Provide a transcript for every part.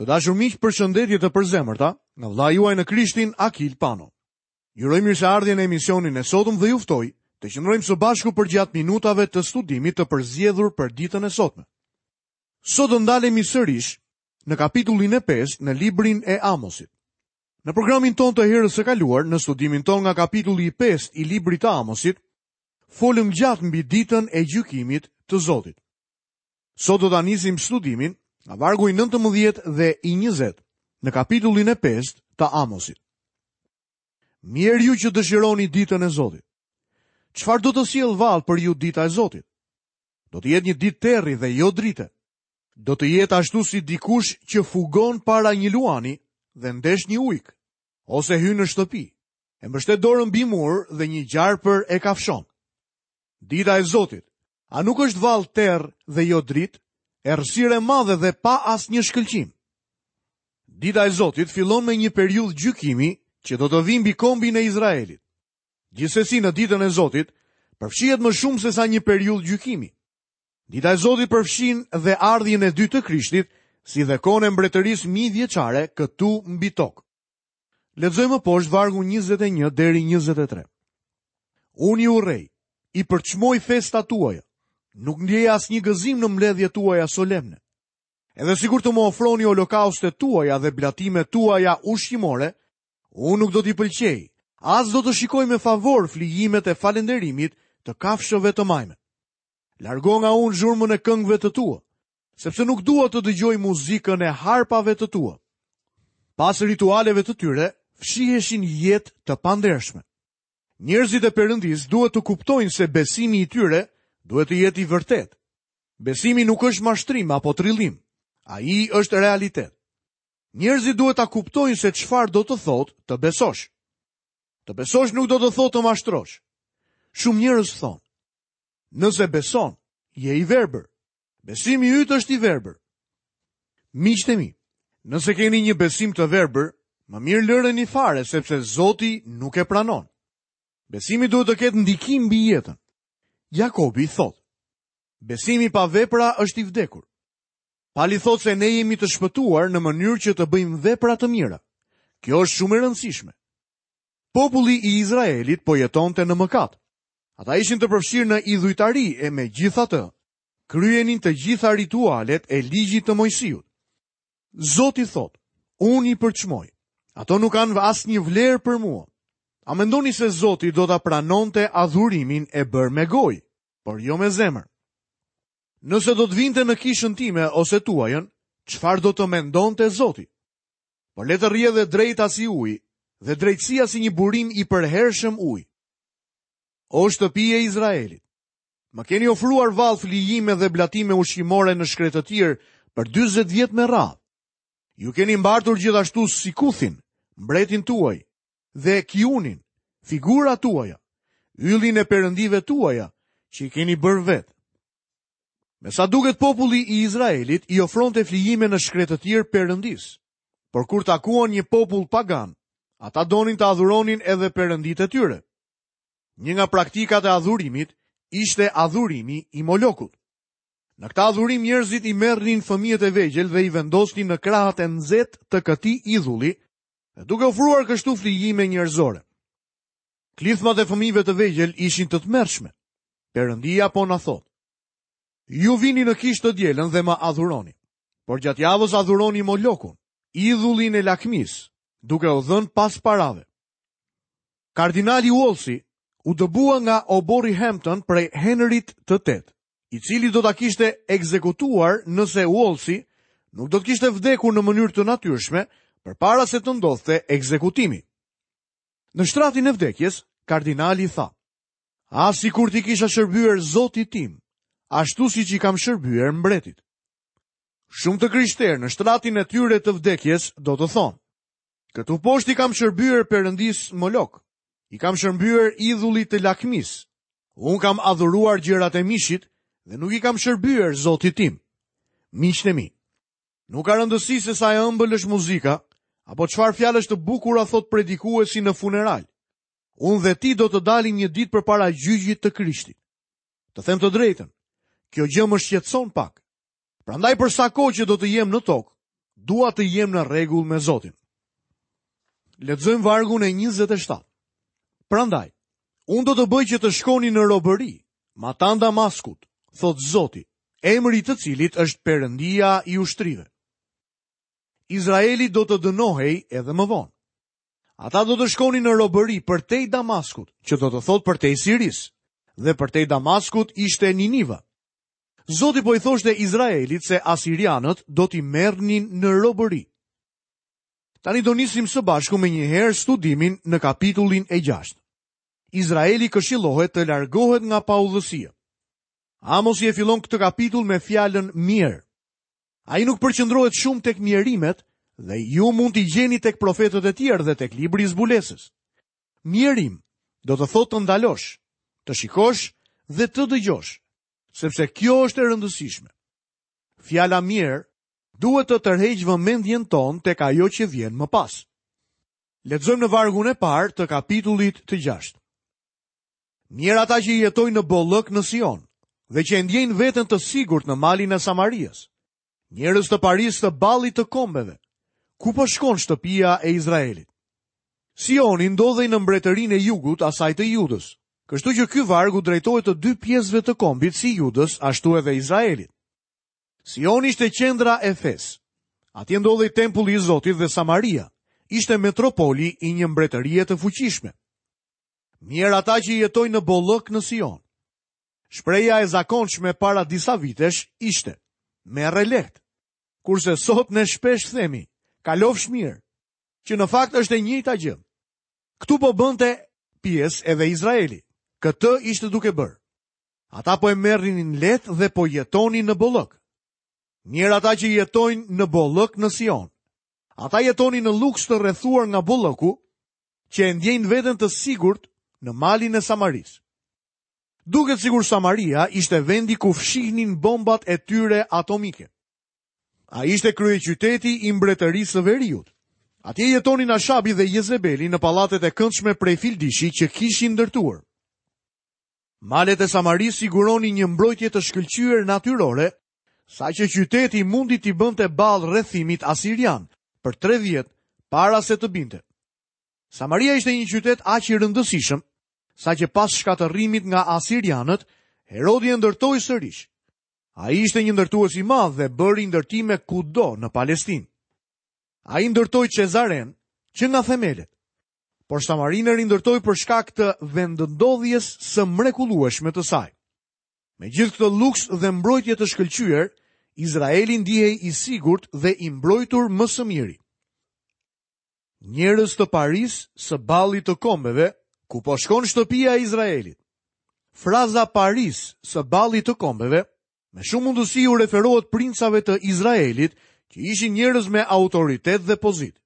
Të dashur miq, përshëndetje të përzemërta nga vëllai juaj në Krishtin Akil Pano. Ju uroj mirëseardhje në emisionin e sotëm dhe ju ftoj të qëndrojmë së bashku përgjatë minutave të studimit të përzgjedhur për ditën e sotme. Sot do ndalemi sërish në kapitullin e 5 në librin e Amosit. Në programin tonë të herës së kaluar, në studimin tonë nga kapitulli i 5 i librit të Amosit, folëm gjatë mbi ditën e gjykimit të Zotit. Sot do ta nisim studimin nga vargu i 19 dhe i 20 në kapitullin e 5 të Amosit. Mjerë ju që dëshironi ditën e Zotit. Çfarë do të sjellë vallë për ju dita e Zotit? Do të jetë një ditë terri dhe jo drite. Do të jetë ashtu si dikush që fugon para një luani dhe ndesh një ujk, ose hyn në shtëpi, e mbështet dorën mbi mur dhe një gjarpër e kafshon. Dita e Zotit, a nuk është vallë terr dhe jo dritë, errësirë e madhe dhe pa asnjë shkëlqim? Dita e Zotit fillon me një periudhë gjykimi që do të vijë mbi kombin e Izraelit. Gjithsesi në ditën e Zotit përfshihet më shumë sesa një periudhë gjykimi. Dita e Zotit përfshin dhe ardhjen e dytë të Krishtit, si dhe kohën e mbretërisë mijëvjeçare këtu mbi tokë. Lexojmë më poshtë vargun 21 deri 23. Unë i urrej, i përçmoj festat tuaja. Nuk ndjej asnjë gëzim në mbledhjet tuaja solemne. Edhe sikur të më ofroni holokaustet tuaja dhe blatimet tuaja ushqimore, unë nuk do t'i pëlqej, as do të shikoj me favor flijimet e falënderimit të kafshëve të majme. Largo nga unë zhurmën e këngëve të tua, sepse nuk dua të dëgjoj muzikën e harpave të tua. Pas ritualeve të tyre, fshiheshin jetë të pandershme. Njerëzit e Perëndisë duhet të kuptojnë se besimi i tyre duhet të jetë i vërtetë. Besimi nuk është mashtrim apo trillim. Ai është realitet. Njerëzit duhet ta kuptojnë se çfarë do të thotë të besosh. Të besosh nuk do të thotë të mashtrosh. Shumë njerëz thonë, nëse beson, je i verbër. Besimi yt është i verbër. Miqtë e mi, nëse keni një besim të verbër, më mirë lëreni fare sepse Zoti nuk e pranon. Besimi duhet të ketë ndikim mbi jetën. Jakobi thotë: Besimi pa vepra është i vdekur. Pali thotë se ne jemi të shpëtuar në mënyrë që të bëjmë vepra të mira. Kjo është shumë e rëndësishme. Populli i Izraelit po jetonte në mëkat. Ata ishin të përfshirë në idhujtari e megjithatë, kryenin të gjitha ritualet e ligjit të Moisiut. Zoti thotë, unë i përçmoj. Ato nuk kanë asnjë vlerë për mua. A mendoni se Zoti do ta pranonte adhurimin e bërë me gojë, por jo me zemër? Nëse do të vinte në kishën time ose tuajën, çfarë do të mendonte Zoti? Por le të rrjedhë e drejta si uji dhe drejtësia si një burim i përhershëm uji. O shtëpi e Izraelit, më keni ofruar vallë flijime dhe blatime ushqimore në shkretëtirë për 40 vjet me radhë. Ju keni mbartur gjithashtu Sikuthin, mbretin tuaj, dhe Kiunin, figurat tuaja, yllin e perëndive tuaja, që i keni bërë vetë. Me sa duket populli i Izraelit i ofronte flijime në shkretëtirë perëndisë. Por kur takuan një popull pagan, ata donin të adhuronin edhe perënditë e tyre. Një nga praktikat e adhurimit ishte adhurimi i Molokut. Në këtë adhurim njerëzit i merrnin fëmijët e vegjël dhe i vendosnin në krahët e nxehtë të këtij idhulli, duke ofruar kështu flijime njerëzore. Klithmat e fëmijëve të vegjël ishin të tmerrshme. Perëndia po na thotë: Ju vini në kishë të dielën dhe më adhuroni, por gjatë javës adhuroni Molokun, idhullin e lakmisë, duke u dhënë pas parave. Kardinali Wolsey u dëbua nga oborri Hampton prej Henrit të VIII, i cili do ta kishte ekzekutuar nëse Wolsey nuk do të kishte vdekur në mënyrë të natyrshme përpara se të ndodhte ekzekutimi. Në shtratin e vdekjes, kardinali tha: "Ah, sikur t'i kisha shërbyer Zotit tim, ashtu siç i kam shërbyer mbretit." Shumë të krishterë në shtratin e tyre të vdekjes do të thonë: Këtu poshtë i kam shërbyer perëndisë Molok, i kam shërbyer idhullit të lakmisë. Unë kam adhuruar gjërat e mishit dhe nuk i kam shërbyer Zotit tim. Miqtë e mi, nuk ka rëndësi se sa e ëmbël është muzika, apo çfarë fjalësh të bukura thotë predikuesi në funeral. Unë dhe ti do të dalim një ditë përpara gjyqit të Krishtit. Të them të drejtën, kjo gjë më shqetëson pak. Prandaj për sa kohë që do të jem në tokë, Dua të jem në rregull me Zotin. Lexojmë vargun e 27. Prandaj, unë do të bëj që të shkoni në robëri, matanë Damaskut, thotë Zoti, emri i të cilit është Perëndia i ushtrive. Izraeli do të dënohej edhe më vonë. Ata do të shkonin në robëri përtej Damaskut, që do të thotë përtej Sirisë, dhe përtej Damaskut ishte Niniva. Zoti po i thoshte Izraelit se asirianët do t'i merrnin në robëri. Tani do nisim së bashku menjëherë studimin në kapitullin e 6. Izraeli këshillohet të largohet nga paudhësia. Amosi e fillon këtë kapitull me fjalën mjerë. Ai nuk përqendrohet shumë tek mjerimet dhe ju mund t'i gjeni tek profetët e tjerë dhe tek libri i zbulesës. Mjerim do të thotë të ndalosh, të shikosh dhe të dëgjosh, sepse kjo është e rëndësishme. Fjala mjerë duhet të tërheqë vëmendjen tonë tek ajo që vjen më pas. Lexojmë në vargun e parë të kapitullit të 6. Mjerë ata që jetojnë në bollëk në Sion dhe që e ndjejnë veten të sigurt në malin e Samarias. Njerëz të parisë të ballit të kombeve. Ku po shkon shtëpia e Izraelit? Sioni ndodhej në mbretërinë e jugut asaj të Judës. Kështu që ky varg u drejtohet të dy pjesëve të kombit si Judës ashtu edhe Izraelit. Sioni ishte qendra e fesë. Atje ndodhej tempulli i Zotit dhe Samaria ishte metropoli i një mbretërie të fuqishme. Mjerë ata që jetojnë në bollëk në Sion. Shprehja e zakonshme para disa vitesh ishte: Merre lehtë. Kurse sot ne shpesh themi, kalofsh mirë, që në fakt është e njëjta gjë. Këtu po bënte pjesë edhe Izraeli. Këtë ishte duke bërë. Ata po e merrnin lehtë dhe po jetonin në bollëk. Mjerë ata që jetojnë në bollëk në Sion. Ata jetonin në luks të rrethuar nga bollëku, që e ndjejnë veten të sigurt në malin e Samarisë. Duket sikur Samaria ishte vendi ku fshihnin bombat e tyre atomike. Ai ishte kryeqyteti i mbretërisë së veriut. Atje jetonin Ashabi dhe Jezebeli në pallatet e këndshme prej fildishi që kishin ndërtuar. Malet e Samarisë siguronin një mbrojtje të shkëlqyer natyrore, saqë qyteti mundi t'i bënte ballë rrethimit asirian për 3 vjet para se të binte. Samaria ishte një qytet aq i rëndësishëm, saqë pas shkatërrimit nga asirianët, Herodi e ndërtoi sërish. Ai ishte një ndërtues i madh dhe bëri ndërtime kudo në Palestinë. Ai ndërtoi Çezarenë që nga themelet. Por Samarinë e rindërtoi për shkak të vendndodhjes së mrekullueshme të saj. Me gjithë këtë luks dhe mbrojtje të shkëlqyer, Izraeli ndihej i sigurt dhe i mbrojtur më së miri. Njerëz të parisë së ballit të kombeve, ku po shkon shtëpia e Izraelit. Fraza parisë së ballit të kombeve, me shumë mundësi u referohet princave të Izraelit, që ishin njerëz me autoritet dhe pozitë.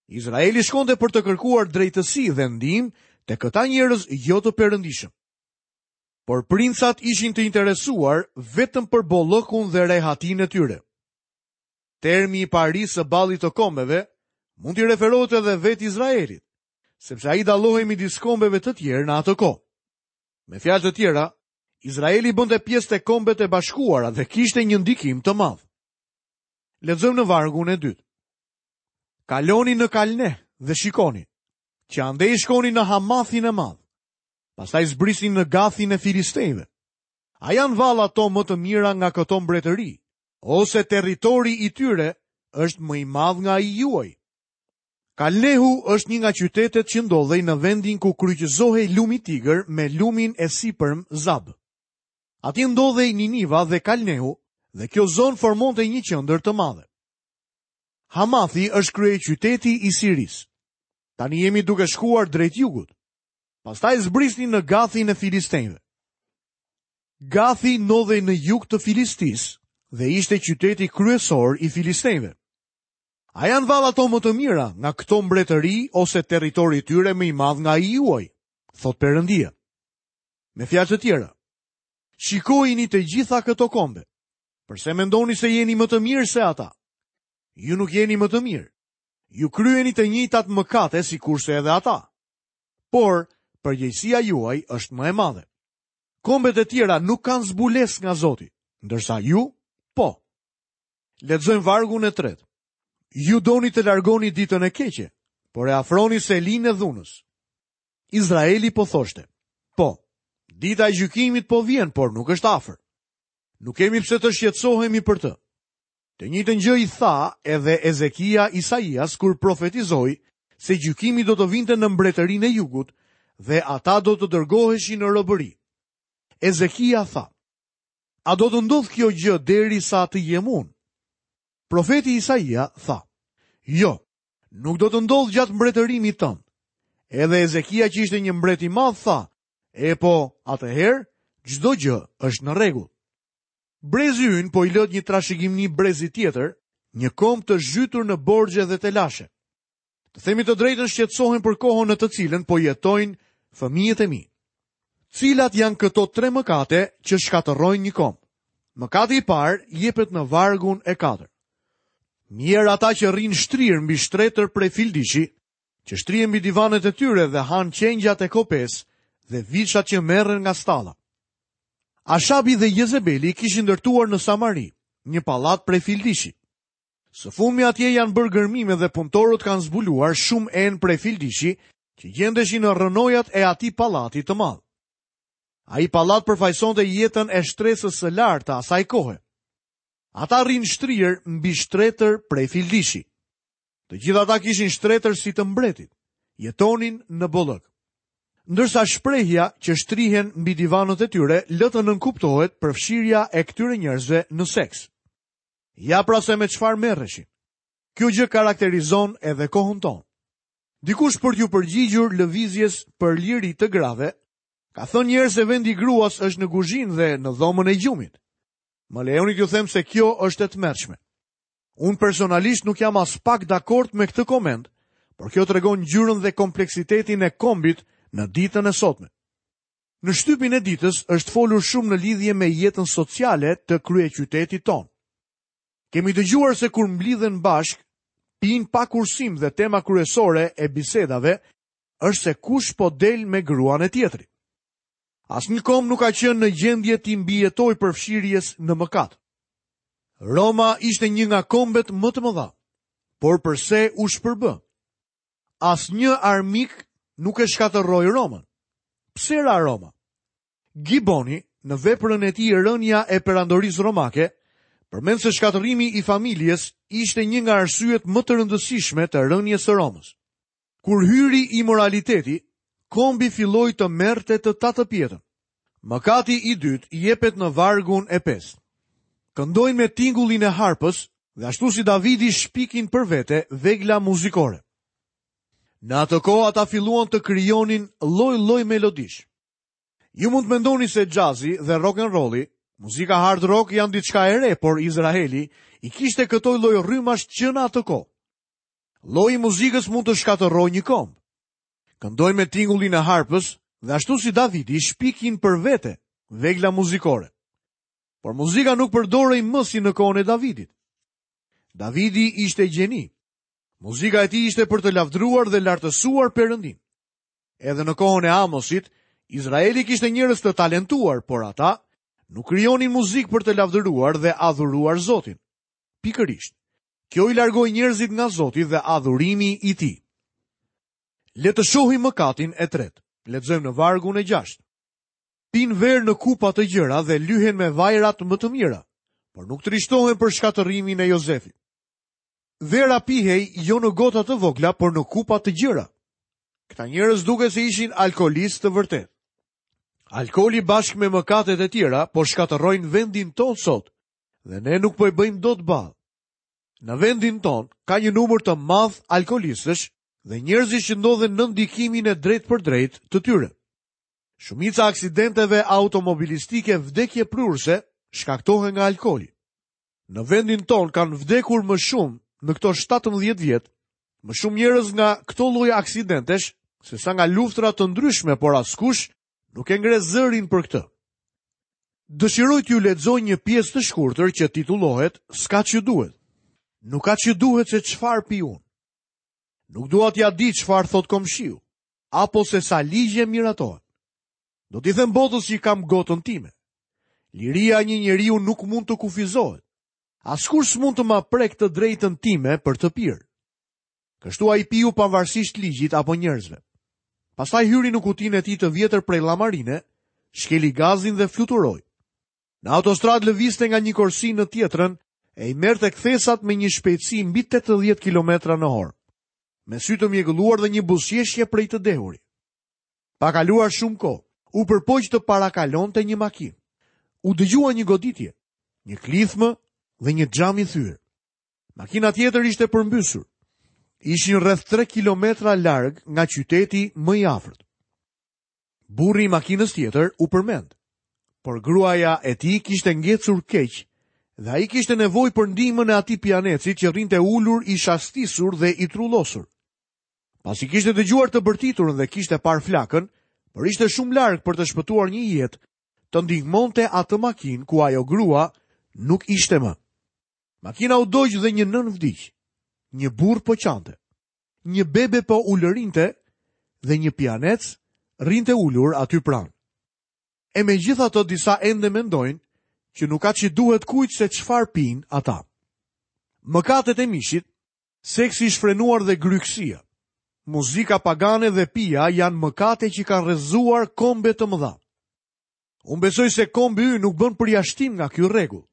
Izraeli shkonte për të kërkuar drejtësi dhe ndihmë te këta njerëz jo të perëndishëm. Por princat ishin të interesuar vetëm për bollëkun dhe rehatinë e tyre. Termi i parisë së ballit të kombeve mund t'i referohet edhe vetë Izraelit, sepse ai dallohej midis kombeve të tjerë në atë kohë. Me fjalë të tjera, Izraeli bënte pjesë te kombet e bashkuara dhe kishte një ndikim të madh. Lexojmë në vargun e dytë. Kaloni në Kalneh dhe shikoni, që andej shkoni në Hamathin e madh. Pastaj zbrisni në Gathin e Filistejve. A janë vallë ato më të mira nga këto mbretëri, ose territori i tyre është më i madh nga ai juaj? Kalnehu është një nga qytetet që ndodhej në vendin ku kryqëzohej lumi Tigër me lumin e sipërm Zab. Atje ndodhej Niniva dhe Kalnehu dhe kjo zonë formonte një qendër të madhe. Hamathi është kryeqyteti i Sirisë. Tani jemi duke shkuar drejt jugut. Pastaj zbrisni në Gathin e Filistenjve. Gathi ndodhej në jug të Filistisë dhe ishte qyteti kryesor i Filistenjve. A janë vallë ato më të mira nga këto mbretëri ose territori i tyre më i madh nga ai juaj? Thotë Perëndia. Me fjalë të tjera, shikojini të gjitha këto kombe. Përse mendoni se jeni më të mirë se ata? Ju nuk jeni më të mirë. Ju kryeni të njëjtat mëkate sikurse edhe ata. Por, përgjegjësia juaj është më e madhe. Kombet e tjera nuk kanë zbulesë nga Zoti, ndërsa ju, po. Lexojmë vargun e tretë. Ju doni të largoni ditën e keqe, por e afroni selinë e dhunës. Izraeli po thoshte, po, dita e gjykimit po vjen, por nuk është afër. Nuk kemi pse të shqetësohemi për të. Të njëjtën gjë i tha edhe Ezekia Isaias kur profetizoi se gjykimi do të vinte në mbretërinë e jugut dhe ata do të dërgoheshin në robëri. Ezekia tha, A do të ndodhë kjo gjë derisa të jem unë? Profeti Isaia tha, Jo, nuk do të ndodhë gjatë mbretërimit tënd. Edhe Ezekia që ishte një mbret i madh tha, Epo, atëherë, çdo gjë është në rregull. Brezi ynë po i lë një trashëgimni brezit tjetër, një komb të zhytur në borxhe dhe telashe. Të themi të drejtën shqetësohem për kohën në të cilën po jetojnë fëmijët e mi. Cilat janë këto tre mëkate që shkatërrojnë një komb? Mëkati i parë jepet në vargun e katërt. Mjerë ata që rrinë shtrirë mbi shtretër prej fildishi, që shtrihen mbi divanet e tyre dhe hanë qengjat e kopesë dhe viçat që merren nga stalla. Ashabi dhe Jezebeli kishin ndërtuar në Samari një pallat prej fildishi. Së fundmi atje janë bërë gërmime dhe punëtorët kanë zbuluar shumë enë prej fildishi që gjendeshin në rrënojat e atij pallati të madh. Ai pallat përfaqësonte jetën e shtresës së lartë të asaj kohe. Ata rrinë shtrirë mbi shtretër prej fildishi. Të gjithë ata kishin shtretër si të mbretit, jetonin në bollëk. Ndërsa shprehja që shtrihen mbi divanët e tyre lë të nënkuptohet përfshirja e këtyre njerëzve në seks. Ja pra se me çfarë merreshin. Kjo gjë karakterizon edhe kohën tonë. Dikush për t'iu përgjigjur lëvizjes për liri të grave, ka thënë një herë se vendi i gruas është në kuzhinë dhe në dhomën e gjumit. Më lejoni t'ju them se kjo është e tmerrshme. Unë personalisht nuk jam aspak dakord me këtë koment, por kjo tregon ngjyrën dhe kompleksitetin e kombit në ditën e sotme. Në shtypin e ditës është folur shumë në lidhje me jetën sociale të kryeqytetit tonë. Kemi dëgjuar se kur mblidhen bashkë, pinë pa kursim dhe tema kryesore e bisedave është se kush po del me gruan e tjetrit. Asnjë komb nuk ka qenë në gjendje t'i mbijetojë përfshirjes në mëkat. Roma ishte një nga kombet më të mëdha. Por përse u shpërbë? Asnjë armik nuk e shkatërroi Romën. Pse ra Roma? Giboni, në veprën e tij Rënia e Perandorisë Romake, përmend se shkatërrimi i familjes ishte një nga arsyet më të rëndësishme të rënies së Romës. Kur hyri imoraliteti, kombi filloi të merrte të tatëpjetën. Mëkati i dytë jepet në vargun e pestë. Këndojnë me tingullin e harpës dhe ashtu si Davidi shpikin për vete vegla muzikore. Në atë kohë ata filluan të krijonin lloj-lloj melodish. Ju mund të mendoni se xhazi dhe rock and rolli, muzika hard rock janë diçka e re, por Izraeli i kishte këto lloj rrymash që në atë kohë. Lloji i muzikës mund të shkatërrojë një komb. Këndojnë me tingullin e harpës dhe ashtu si Davidi shpikin për vete vegla muzikore. Por muzika nuk përdorej më si në kohën e Davidit. Davidi ishte gjeni. Muzika e tij ishte për të lavdëruar dhe lartësuar Perëndinë. Edhe në kohën e Amosit, Izraeli kishte njerëz të talentuar, por ata nuk krijonin muzikë për të lavdëruar dhe adhuruar Zotin. Pikërisht. Kjo i largoi njerëzit nga Zoti dhe adhurimi i tij. Le të shohim mëkatin e tretë. Lexojmë në vargun e gjashtë. Pinë verë në kupa të gjera dhe lyhen me vajrat më të mira, por nuk trishtohen për shkatërrimin e Jozefit. Vera pihej jo në gota të vogla, por në kupa të gjera. Këta njerëz duket se ishin alkoolistë të vërtetë. Alkooli bashkë me mëkatet e tjera po shkatërrojnë vendin tonë sot dhe ne nuk po i bëjmë dot ballë. Në vendin tonë ka një numër të madh alkoolistësh dhe njerëzish që ndodhen nën ndikimin e drejtpërdrejtë të tyre. Shumica e aksidenteve automobilistike vdekjeprurëse shkaktohen nga alkooli. Në vendin tonë kanë vdekur më shumë në këto 17 vjet, më shumë njerëz nga këto lloj aksidentesh sesa nga luftëra të ndryshme, por askush nuk e ngre zërin për këtë. Dëshiroj t'ju lexoj një pjesë të shkurtër që titullohet S'ka ç'ju duhet. Nuk ka ç'ju duhet se çfarë pi unë. Nuk dua t'ia di çfarë thotë komshiu, apo se sa ligje miratohen. Do t'i them botës që kam gotën time. Liria e një njeriu nuk mund të kufizohet. Askush s'mund të ma prekë të drejtën time për të pirë. Kështu ai piu pavarësisht ligjit apo njerëzve. Pastaj hyri në kutinë e tij të vjetër prej llamarine, shkeli gazin dhe fluturoi. Në autostradë lëvizte nga një korsi në tjetrën e i merrte kthesat me një shpejtësi mbi 80 kilometra në orë. Me sy të mjegulluar dhe një buzëqeshje prej të dehuri. Pa kaluar shumë kohë, u përpoq të parakalonte një makinë. U dëgjua një goditje, një klithmë dhe një xham i thyer. Makina tjetër ishte përmbysur. Ishin rreth 3 kilometra larg nga qyteti më i afërt. Burri i makinës tjetër u përmend, por gruaja e tij kishte ngecur keq dhe ai kishte nevojë për ndihmën e atij pijanecit që rrinte ulur i shastisur dhe i trullosur. Pasi kishte dëgjuar të bërtiturën dhe kishte parë flakën, por ishte shumë larg për të shpëtuar një jetë, të ndihmonte atë makinë ku ajo grua nuk ishte më. Makina u dogj dhe një nënë vdiq. Një burrë po qante. Një bebe po ulërinte dhe një pijanec rrinte ulur aty pranë. E megjithatë disa ende mendojnë që nuk ka ç'i duhet kujt se çfarë pinë ata. Mëkatet e mishit, seksi i shfrenuar dhe grykësia, muzika pagane dhe pija janë mëkate që kanë rrëzuar kombe të mëdha. Unë besoj se kombi ynë nuk bën përjashtim nga ky rregull.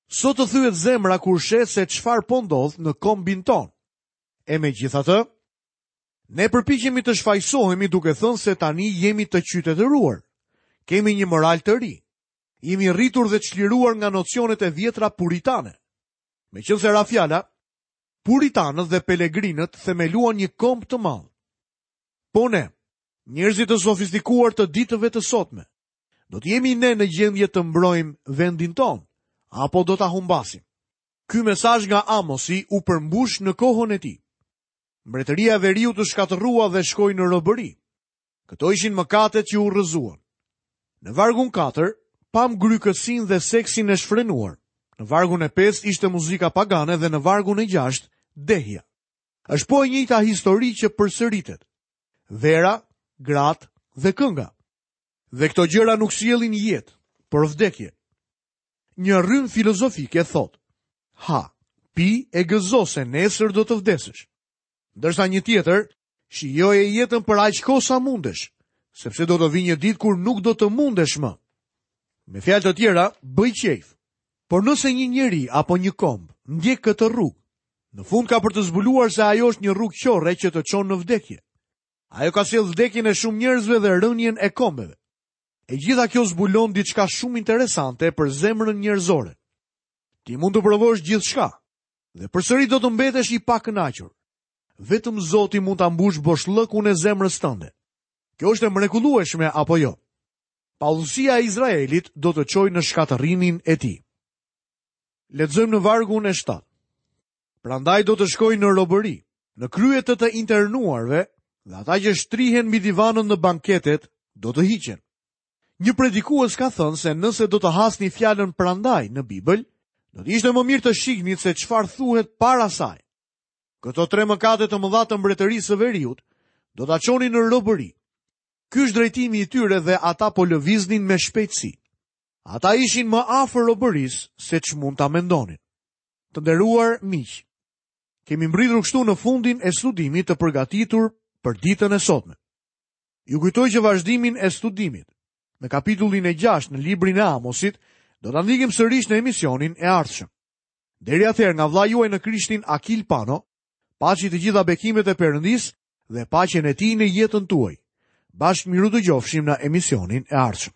Sot të thyhet zemra kur sheh se çfarë po ndodh në kombin tonë. E megjithatë, ne përpiqemi të shfajësohemi duke thënë se tani jemi të qytetëruar. Kemi një moral të ri. Jemi rritur dhe çliruar nga nocionet e vjetra puritane. Meqenëse ra fjala, puritanët dhe pelegrinët themeluan një komb të madh. Po ne, njerëzit të sofistikuar të ditëve të sotme, Do të jemi ne në gjendje të mbrojmë vendin tonë, apo do ta humbasim? Ky mesazh nga Amosi u përmbush në kohën e tij. Mbretëria e Veriut u shkatërrua dhe shkoi në robëri. Këto ishin mëkatet që u rrëzuan. Në vargun 4, pamë grykësinë dhe seksin e shfrenuar. Në vargun e 5 ishte muzika pagane dhe në vargun e 6 dehja. Është po e njëjta histori që përsëritet. Vera, gratë dhe kënga. Dhe këto gjëra nuk sjellin jetë, por vdekje. Një rrymë filozofike thotë: Ha, pi e gëzo se nesër do të vdesësh. Ndërsa një tjetër, shijoje jetën për aq kohë sa mundesh, sepse do të vijë një ditë kur nuk do të mundesh më. Me fjalë të tjera, bëj qejf. Por nëse një njeri apo një komb ndjek këtë rrugë, në fund ka për të zbuluar se ajo është një rrugë qorre që të çon në vdekje. Ajo ka sjellë vdekjen e shumë njerëzve dhe rënien e kombeve. E gjitha kjo zbulon diçka shumë interesante për zemrën njerëzore. Ti mund të provosh gjithçka dhe përsëri do të mbetesh i pakënaqur. Vetëm Zoti mund ta mbushë boshllëkun e zemrës tënde. Kjo është e mrekullueshme apo jo? Paudhësia e Izraelit do të çojë në shkatërrimin e tij. Lexojmë në vargun e 7. Prandaj do të shkojnë në robëri, në krye të të internuarve dhe ata që shtrihen mbi divanët në banketet do të hiqen. Një predikues ka thënë se nëse do të hasni fjalën prandaj në Bibël, do të ishte më mirë të shihnit se çfarë thuhet para saj. Këto tre mëkate të mëdha të mbretërisë së veriut do ta çonin në robëri. Ky është drejtimi i tyre dhe ata po lëviznin me shpejtësi. Ata ishin më afër robërisë se ç'mund ta mendonin. Të nderuar miq, kemi mbërritur kështu në fundin e studimit të përgatitur për ditën e sotme. Ju kujtoj që vazhdimin e studimit në kapitullin e 6 në librin e Amosit do ta ndjekim sërish në emisionin e ardhshëm. Deri atëherë nga vëllai juaj në Krishtin Akil Pano, paçi të gjitha bekimet e Perëndisë dhe paqen e tij në jetën tuaj. Bashkë mirudëgjofshim në emisionin e ardhshëm.